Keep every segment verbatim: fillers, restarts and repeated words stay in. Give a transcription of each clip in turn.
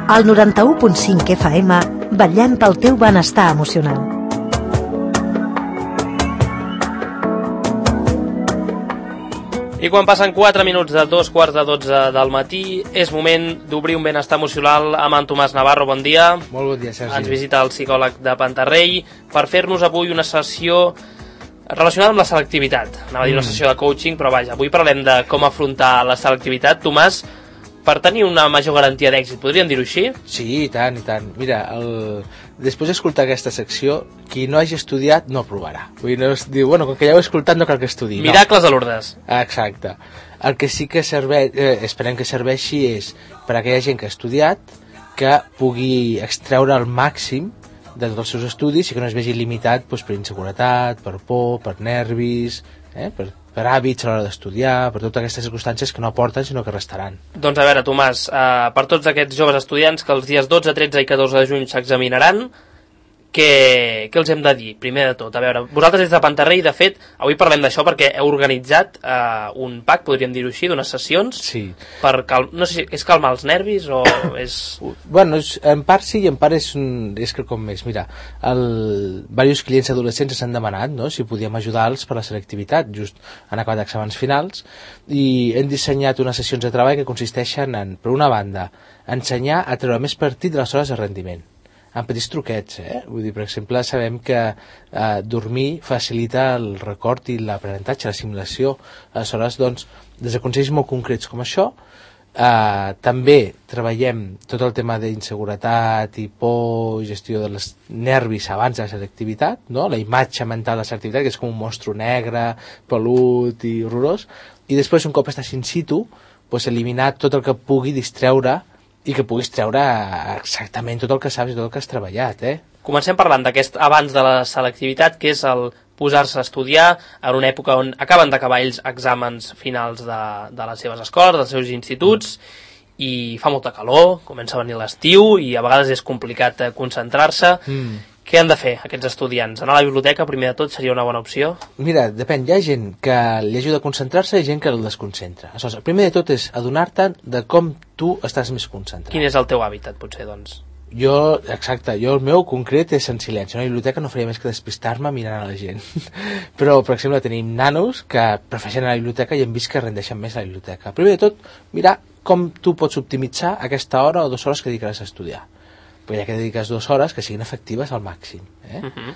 Al noranta-u punt cinc F M, vetllem pel teu benestar emocional. I quan passen quatre minuts de dos quarts de dotze del matí, és moment d'obrir un benestar emocional amb en Tomàs Navarro. Bon dia. Molt bon dia, Sergi. Ens visita el psicòleg de Pantarrell per fer-nos avui una sessió relacionada amb la selectivitat. Anava a dir una sessió de coaching, però vaja, avui parlem de com afrontar la selectivitat. Tomàs, per tenir una major garantia d'èxit, podríem dir-ho així? Sí, i tant, i tant. Mira, el... després d'escoltar aquesta secció, qui no hagi estudiat no provarà. Vull dir, no es diu, bueno, com que ja ho he escoltat no cal que estudi. Miracles no. A Lourdes. Exacte. El que sí que serveix, eh, esperem que serveixi és per a aquella gent que ha estudiat que pugui extreure el màxim de tots els seus estudis i que no es vegi limitat doncs, per inseguretat, per por, per nervis, eh, per, per hàbits a l'hora d'estudiar, per totes aquestes circumstàncies que no aporten sinó que restaran. Doncs a veure, Tomàs, eh, per tots aquests joves estudiants que els dies dotze, tretze i catorze de juny s'examinaran, què, què els hem de dir? Primer de tot, a veure, vosaltres des de Pantarrell, de fet, avui parlem d'això perquè heu organitzat eh, un pack, podríem dir-ho així, d'unes sessions, sí. per cal... no sé si és calmar els nervis o és... Bueno, en part sí i en part és, un... és que com més, mira, el... diversos clients adolescents s'han demanat, no?, si podíem ajudar-los per la selectivitat, just han acabat exàmens finals, i hem dissenyat unes sessions de treball que consisteixen en, per una banda, ensenyar a treure més partit de les hores de rendiment, amb petits truquets, eh? Vull dir, per exemple, sabem que eh, dormir facilita el record i l'aprenentatge, l'assimilació. Aleshores, doncs, des de consells molt concrets com això, eh, també treballem tot el tema d'inseguretat i por, gestió dels nervis abans de la selectivitat, no? La imatge mental de la selectivitat, que és com un monstru negre, pelut i horrorós, i després, un cop estàs in situ, doncs, eliminar tot el que pugui distreure i que puguis treure exactament tot el que saps i tot el que has treballat, eh? Comencem parlant d'aquest abans de la selectivitat, que és el posar-se a estudiar en una època on acaben d'acabar ells exàmens finals de, de les seves escoles, dels seus instituts, i fa molta calor, comença a venir l'estiu i a vegades és complicat concentrar-se. Mm. Què han de fer aquests estudiants? Anar a la biblioteca, primer de tot, seria una bona opció? Mira, depèn. Hi ha gent que li ajuda a concentrar-se i gent que el desconcentra. Aleshores, el primer de tot és adonar-te de com tu estàs més concentrat. Quin és el teu hàbitat, potser, doncs? Jo, exacte, jo el meu concret és en silenci. A la biblioteca no faria més que despistar-me mirant a la gent. Però, per exemple, tenim nanos que prefereixen anar a la biblioteca i hem vist que rendeixen més a la biblioteca. Primer de tot, mirar com tu pots optimitzar aquesta hora o dues hores que dedicaràs a estudiar. Però ja que dediques dues hores que siguin efectives al màxim, eh? Uh-huh.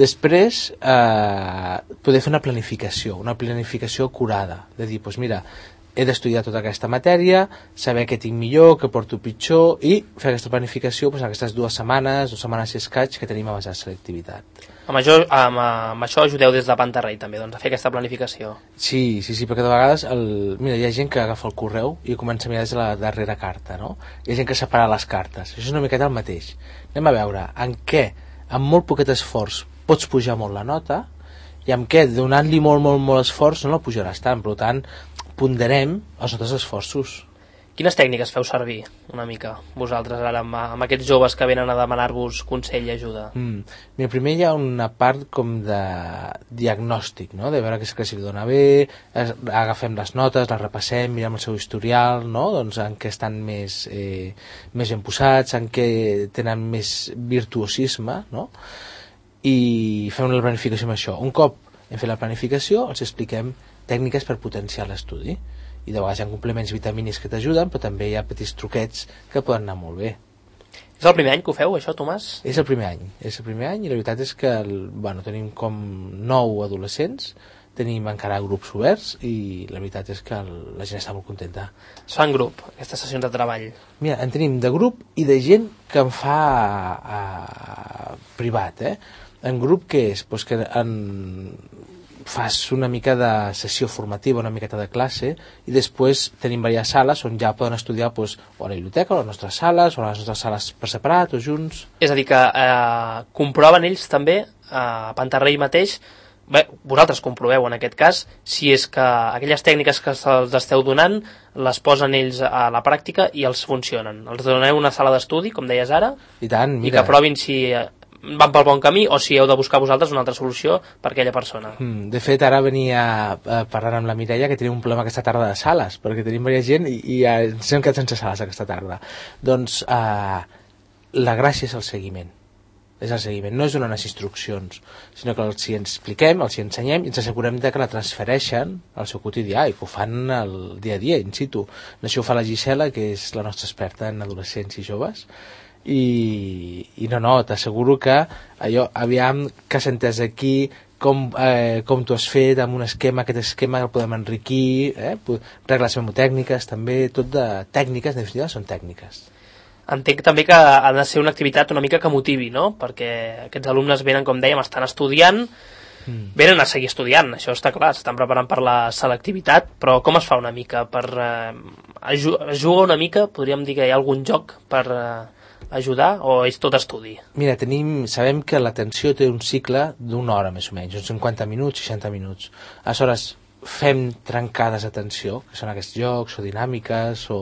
Després eh, poder fer una planificació una planificació acurada, de dir, doncs mira, he d'estudiar tota aquesta matèria, saber què tinc millor, què porto pitjor, i fer aquesta planificació doncs, en aquestes dues setmanes dues setmanes i escaig que tenim abans de la selectivitat. Amb això, amb, amb això ajudeu des de Pantarrell també, doncs, a fer aquesta planificació. Sí, sí, sí, perquè de vegades el... mira, hi ha gent que agafa el correu i comença a mirar des de la darrera carta, no? Hi ha gent que separa les cartes. Això és una miqueta el mateix. Anem a veure en què, amb molt poquet esforç, pots pujar molt la nota i amb què, donant-li molt, molt, molt esforç, no la pujaràs tant. Per tant, ponderem els nostres esforços. Quines tècniques feu servir, una mica, vosaltres, ara, amb, amb aquests joves que venen a demanar-vos consell i ajuda? Mm. Mira, primer hi ha una part com de diagnòstic, no? De veure què és que si li dona bé, agafem les notes, les repassem, mirem el seu historial, no? Doncs en què estan més, eh, més ben posats, en què tenen més virtuosisme, no? I fem una planificació amb això. Un cop hem fet la planificació, els expliquem tècniques per potenciar l'estudi. I de vegades hi ha complements vitamínics que t'ajuden, però també hi ha petits truquets que poden anar molt bé. És el primer any que ho feu, això, Tomàs? És el primer any, és el primer any i la veritat és que el, bueno, tenim com nou adolescents, tenim encara grups oberts i la veritat és que el, la gent està molt contenta. Es fa en grup, aquestes sessions de treball? Mira, en tenim de grup i de gent que en fa a, a, privat, eh? En grup què és? Pues que en... fas una mica de sessió formativa, una miqueta de classe, i després tenim diverses sales on ja poden estudiar doncs, o a la biblioteca, o a les nostres sales, o a les nostres sales per separat, o junts. És a dir, que eh, comproven ells també, a Pantarrell mateix, bé, vosaltres comproveu en aquest cas, si és que aquelles tècniques que se'ls esteu donant les posen ells a la pràctica i els funcionen. Els doneu una sala d'estudi, com deies ara, i tant, mira, i que provin si van pel bon camí o si heu de buscar vosaltres una altra solució per aquella persona. Mm, de fet, ara venia eh, parlant amb la Mireia que tenim un problema aquesta tarda de sales, perquè tenim diversa gent i, i eh, ens hem quedat sense sales aquesta tarda. Doncs eh, la gràcia és el seguiment. És el seguiment, no és donar unes instruccions, sinó que els hi expliquem, els hi ensenyem i ens assegurem de que la transfereixen al seu quotidià i que ho fan el dia a dia, in situ. Això ho fa la Gisela, que és la nostra experta en adolescents i joves, i, i no, no, t'asseguro que allò, aviam que s'entès aquí com, eh, com tu has fet amb un esquema, aquest esquema el podem enriquir, eh? Regles memotècniques també, tot de tècniques, en definitiva són tècniques. Entenc també que ha de ser una activitat una mica que motivi, no? Perquè aquests alumnes venen, com dèiem, estan estudiant, mm. venen a seguir estudiant, això està clar, s'estan preparant per la selectivitat, però com es fa una mica per eh, jugar una mica, podríem dir que hi ha algun joc per eh, ajudar o és tot estudi? Mira, tenim, sabem que l'atenció té un cicle d'una hora més o menys, uns cinquanta minuts, seixanta minuts. Aleshores, fem trencades d'atenció, que són aquests jocs o dinàmiques o,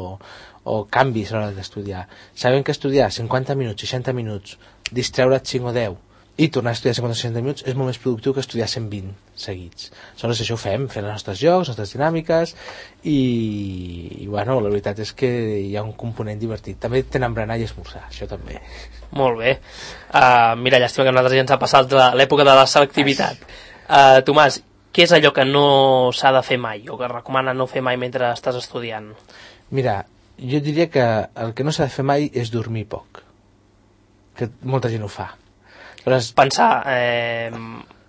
o canvis a l'hora d'estudiar. Sabem que estudiar cinquanta minuts, seixanta minuts, distreure't cinc o deu i tornar a estudiar cinquanta o seixanta minuts és molt més productiu que estudiar cent vint seguits. Aleshores això ho fem, fent els nostres jocs, les nostres dinàmiques i, i bueno, la veritat és que hi ha un component divertit. També tenen berenar i esmorzar, això també. Molt bé. Uh, mira, llàstima que a nosaltres ja ens ha passat l'època de la selectivitat. Uh, Tomàs, què és allò que no s'ha de fer mai o que recomana no fer mai mentre estàs estudiant? Mira, jo diria que el que no s'ha de fer mai és dormir poc, que molta gent ho fa. Aleshores, pensar, eh,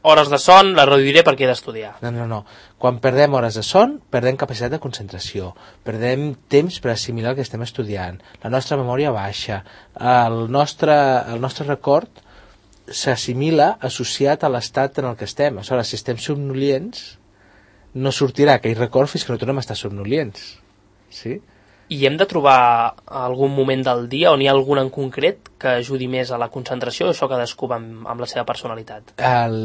hores de son les reduiré perquè he d'estudiar. No, no, no. Quan perdem hores de son, perdem capacitat de concentració, perdem temps per assimilar el que estem estudiant, la nostra memòria baixa, el nostre, el nostre record s'assimila associat a l'estat en el que estem. Aleshores, si estem somnolients, no sortirà aquell record fins que no tornem a estar somnolients. Sí? I hem de trobar algun moment del dia on hi ha algun en concret que ajudi més a la concentració, això cadascú va amb, amb la seva personalitat? El...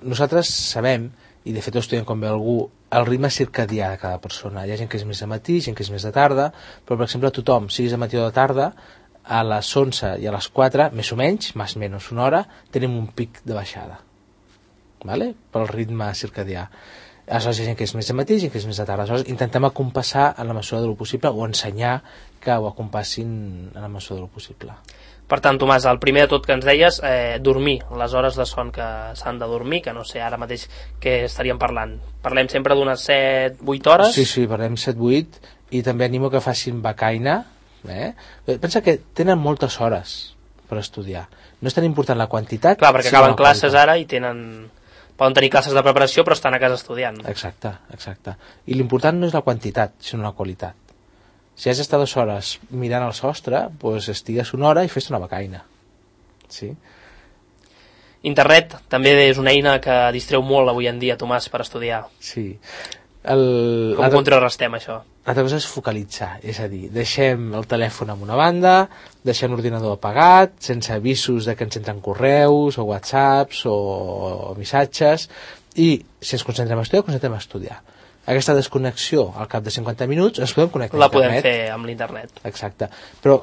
Nosaltres sabem, i de fet ho estudiem com ve algú, el ritme circadià de cada persona. Hi ha gent que és més de matí, gent que és més de tarda, però per exemple tothom, siguis de matí o de tarda, a les onze i a les quatre, més o menys, més o menys una hora, tenim un pic de baixada, vale? Pel ritme circadià. Aleshores hi ha gent que és més de matí, gent que és més de tarda. Aleshores intentem acompassar en la mesura del possible o ensenyar que ho acompassin en la mesura del possible. Per tant, Tomàs, el primer de tot que ens deies, eh, dormir, les hores de son que s'han de dormir, que no sé ara mateix què estaríem parlant. Parlem sempre d'unes set vuit hores? Sí, sí, parlem set vuit i també animo que facin becaina. Eh? Pensa que tenen moltes hores per estudiar. No és tan important la quantitat... Clar, perquè acaben classes ara i tenen... Poden tenir classes de preparació però estan a casa estudiant. Exacte, exacte. I l'important no és la quantitat, sinó la qualitat. Si has d'estar dues hores mirant el sostre, doncs estigues una hora i fes una becaina. Sí? Internet també és una eina que distreu molt avui en dia, Tomàs, per estudiar. Sí. El... Com ho contrarrestem, això? L'altra cosa és focalitzar, és a dir, deixem el telèfon en una banda, deixem l'ordinador apagat, sense avisos de que ens entren correus o whatsapps o, o missatges, i si ens concentrem a estudiar, concentrem a estudiar. Aquesta desconnexió al cap de cinquanta minuts ens podem connectar la a internet. La podem fer amb l'internet. Exacte, però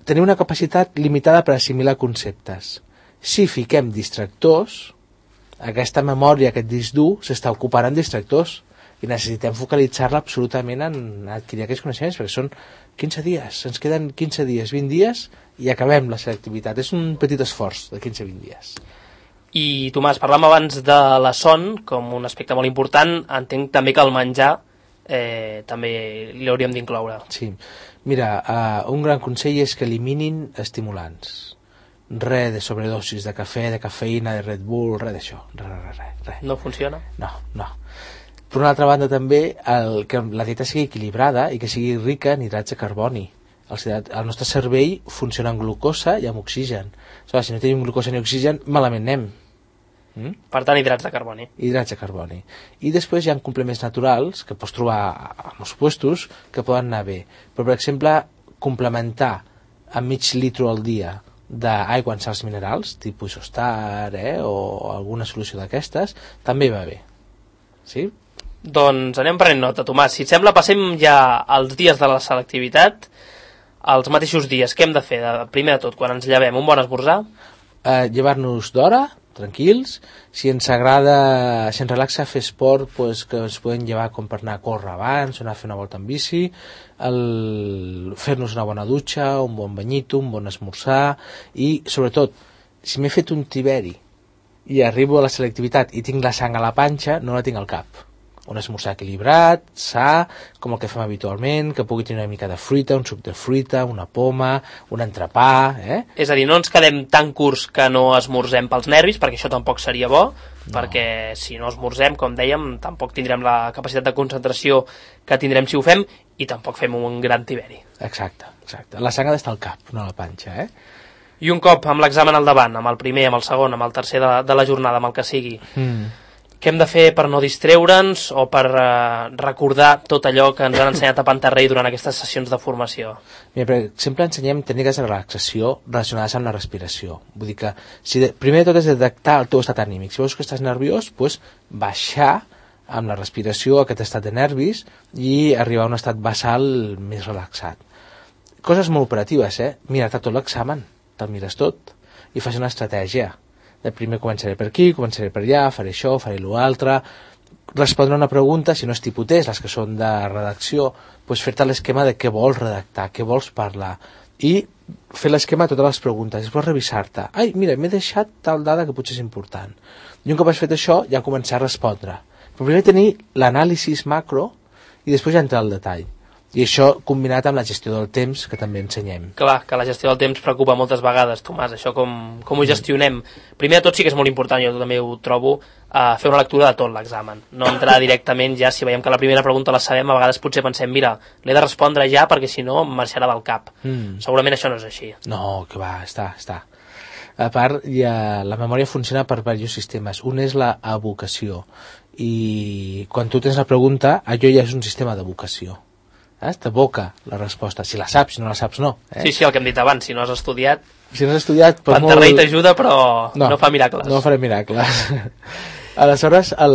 tenim una capacitat limitada per assimilar conceptes. Si fiquem distractors, aquesta memòria, aquest disc dur, s'està ocupant en distractors, i necessitem focalitzar-la absolutament en adquirir aquests coneixements, perquè són quinze dies, ens queden quinze dies, vint dies i acabem la selectivitat. És un petit esforç de quinze a vint dies. I Tomàs, parlàvem abans de la son com un aspecte molt important. Entenc també que el menjar eh, també l'hauríem d'incloure. Sí, mira, uh, un gran consell és que eliminin estimulants. Res de sobredosis de cafè, de cafeïna, de Red Bull, res d'això, res, res, res, res. No funciona? No, no. Per una altra banda també, el, que la dieta sigui equilibrada i que sigui rica en hidrats de carboni. El, el nostre cervell funciona amb glucosa i amb oxigen. Aleshores, si no tenim glucosa ni oxigen, malament anem. Mm? Per tant, hidrats de carboni. Hidrats de carboni. I després hi ha complements naturals que pots trobar a molts puestos que poden anar bé. Però, per exemple, complementar amb mig litro al dia d'aigua en sals minerals, tipus Isostar, eh, o alguna solució d'aquestes, també va bé. Sí? Doncs anem prenent nota, Tomàs. Si et sembla, passem ja als dies de la selectivitat, els mateixos dies. Què hem de fer? Primer de tot, quan ens llevem, un bon esmorzar? eh, llevar-nos d'hora, tranquils. Si ens agrada, si ens relaxa fer esport, pues, que ens podem llevar com per anar a córrer abans o anar a fer una volta en bici, el... fer-nos una bona dutxa, un bon banyito, un bon esmorzar, i sobretot, si m'he fet un tiberi i arribo a la selectivitat i tinc la sang a la panxa, no la tinc al cap. Un esmorzar equilibrat, sa, com el que fem habitualment, que pugui tenir una mica de fruita, un suc de fruita, una poma, un entrepà, eh? És a dir, no ens quedem tan curts que no esmorzem pels nervis, perquè això tampoc seria bo, no. Perquè si no esmorzem, com dèiem, tampoc tindrem la capacitat de concentració que tindrem si ho fem, i tampoc fem un gran tiberi. Exacte, exacte. La sang ha d'estar al cap, no a la panxa, eh? I un cop amb l'examen al davant, amb el primer, amb el segon, amb el tercer de, de la jornada, amb el que sigui, mm. què hem de fer per no distreure'ns o per uh, recordar tot allò que ens han ensenyat a Pantarrei durant aquestes sessions de formació? Mira, per exemple, ensenyem tècniques de relaxació relacionades amb la respiració. Vull dir que, si de, primer de tot és detectar el teu estat anímic. Si veus que estàs nerviós, pues, baixar amb la respiració aquest estat de nervis i arribar a un estat basal més relaxat. Coses molt operatives, eh? Mira-te tot l'examen, te'l mires tot i fas una estratègia. De primer començaré per aquí, començaré per allà, faré això, faré l'altre, respondre una pregunta, si no és tipus test, les que són de redacció, doncs fer-te l'esquema de què vols redactar, què vols parlar, i fer l'esquema de totes les preguntes, després revisar-te. Ai, mira, m'he deixat tal dada que potser és important. I un cop has fet això, ja començar a respondre. Però primer tenir l'anàlisi macro i després ja entrar al detall. I això combinat amb la gestió del temps, que també ensenyem. Clar, que la gestió del temps preocupa moltes vegades, Tomàs, això com, com ho gestionem. Primer de tot sí que és molt important, jo també ho trobo, uh, fer una lectura de tot l'examen. No entrar directament ja, si veiem que la primera pregunta la sabem, a vegades potser pensem, mira, l'he de respondre ja perquè si no em marxarà del cap. Mm. Segurament això no és així. No, que va, està, està. A part, ja, la memòria funciona per diversos sistemes. Un és la evocació. I quan tu tens la pregunta, allò ja és un sistema d'evocació. Eh? T'evoca la resposta, si la saps, si no la saps no, eh? Sí, sí, el que hem dit abans, si no has estudiat, si no has estudiat Pantarrei molt... t'ajuda però no, no fa miracles no faré miracles. Aleshores, el...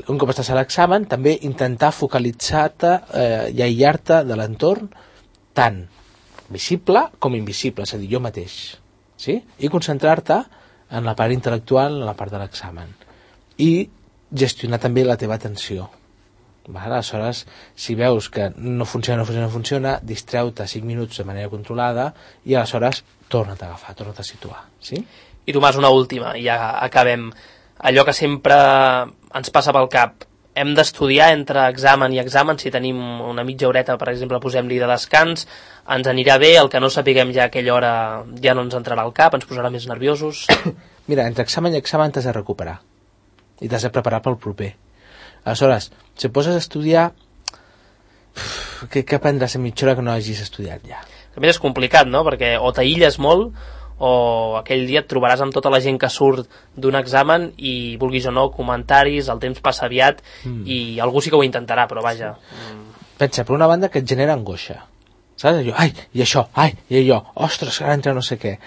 un cop estàs a l'examen, també intentar focalitzar-te eh, i aïllar-te de l'entorn tant visible com invisible, és a dir, jo mateix, sí? I concentrar-te en la part intel·lectual, en la part de l'examen, i gestionar també la teva atenció. Vale, aleshores, si veus que no funciona, no funciona, no funciona, distreu-te cinc minuts de manera controlada i aleshores torna't a agafar, torna't a situar. Sí? I Tomàs, una última, i ja acabem. Allò que sempre ens passa pel cap, hem d'estudiar entre examen i examen, si tenim una mitja horeta, per exemple, posem-li de descans, ens anirà bé, el que no sapiguem ja a aquella hora ja no ens entrarà al cap, ens posarà més nerviosos. Mira, entre examen i examen t'has de recuperar i t'has de preparar pel proper. Aleshores, si poses a estudiar, què, què aprendràs en mitja hora que no hagis estudiat ja? A més és complicat, no? Perquè o t'aïlles molt o aquell dia et trobaràs amb tota la gent que surt d'un examen i, vulguis o no, comentaris, el temps passa aviat mm. i algú sí que ho intentarà, però vaja. Mm. Pensa, per una banda, que et genera angoixa. Saps? Allò, ai, i això, ai, i allò, ostres, que ara entra no sé què.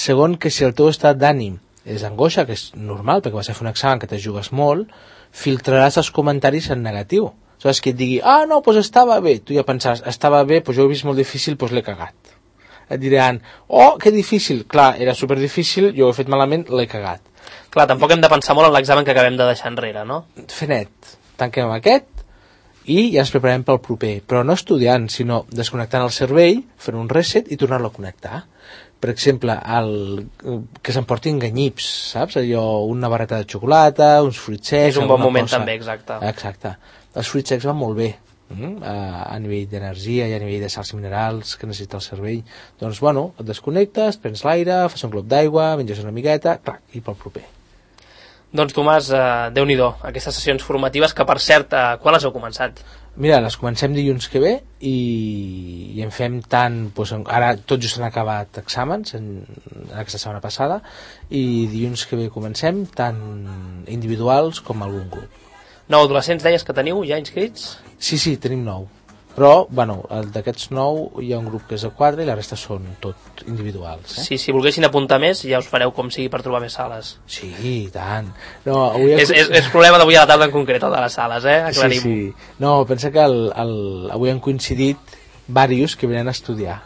Segon, que si el teu estat d'ànim és angoixa, que és normal, perquè vas a fer un examen que te jugues molt, filtraràs els comentaris en negatiu. Saps? Que et digui, ah, no, doncs estava bé. Tu ja pensaràs, estava bé, doncs jo ho he vist molt difícil, doncs l'he cagat. Et diran, oh, que difícil. Clar, era superdifícil, jo ho he fet malament, l'he cagat. Clar, tampoc hem de pensar molt en l'examen que acabem de deixar enrere, no? Fer net. Tanquem aquest i ja ens preparem pel proper. Però no estudiant, sinó desconnectant el cervell, fent un reset i tornar-lo a connectar. Per exemple, el, que s'emportin ganyips, saps? Allò, una barreta de xocolata, uns fruits secs... És un bon moment cosa. També, exacte. Exacte. Els fruits secs van molt bé, mm? a, a nivell d'energia i a nivell de sals minerals que necessita el cervell. Doncs, bueno, et desconnectes, prens l'aire, fas un glop d'aigua, menges una miqueta, clar, i pel proper. Doncs, Tomàs, eh, Déu-n'hi-do, aquestes sessions formatives que, per cert, eh, quan les heu començat? Mira, les comencem dilluns que ve i, i en fem tant, doncs, ara tot just han acabat exàmens en, en aquesta setmana passada i dilluns que ve comencem tant individuals com algun grup. Nou adolescents deies que teniu ja inscrits? Sí, sí, tenim nou. Però, bueno, d'aquests nou hi ha un grup que és de quatre i la resta són tot individuals. Eh? Sí, si volguessin apuntar més ja us fareu com sigui per trobar més sales. Sí, i tant. No, avui és, és, és problema d'avui a la tarda en concret, el de les sales, eh? Aclarim. Sí, sí. No, pensa que el, el, avui han coincidit diversos que venen a estudiar.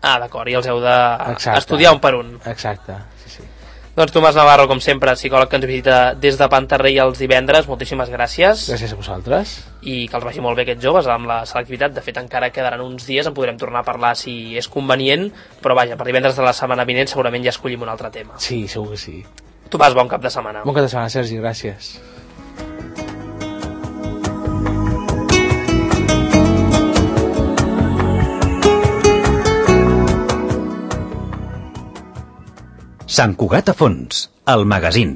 Ah, d'acord, i els heu d'estudiar un per un. Exacte, sí, sí. Doncs Tomàs Navarro, com sempre, psicòleg que ens visita des de Pantarrei els divendres, moltíssimes gràcies. Gràcies a vosaltres. I que els vagi molt bé aquests joves amb la selectivitat. De fet, encara quedaran uns dies, en podrem tornar a parlar si és convenient, però vaja, per divendres de la setmana vinent segurament ja escollim un altre tema. Sí, segur que sí. Tomàs, bon cap de setmana. Bon cap de setmana, Sergi, gràcies. Sant Cugat a fons, el magazín.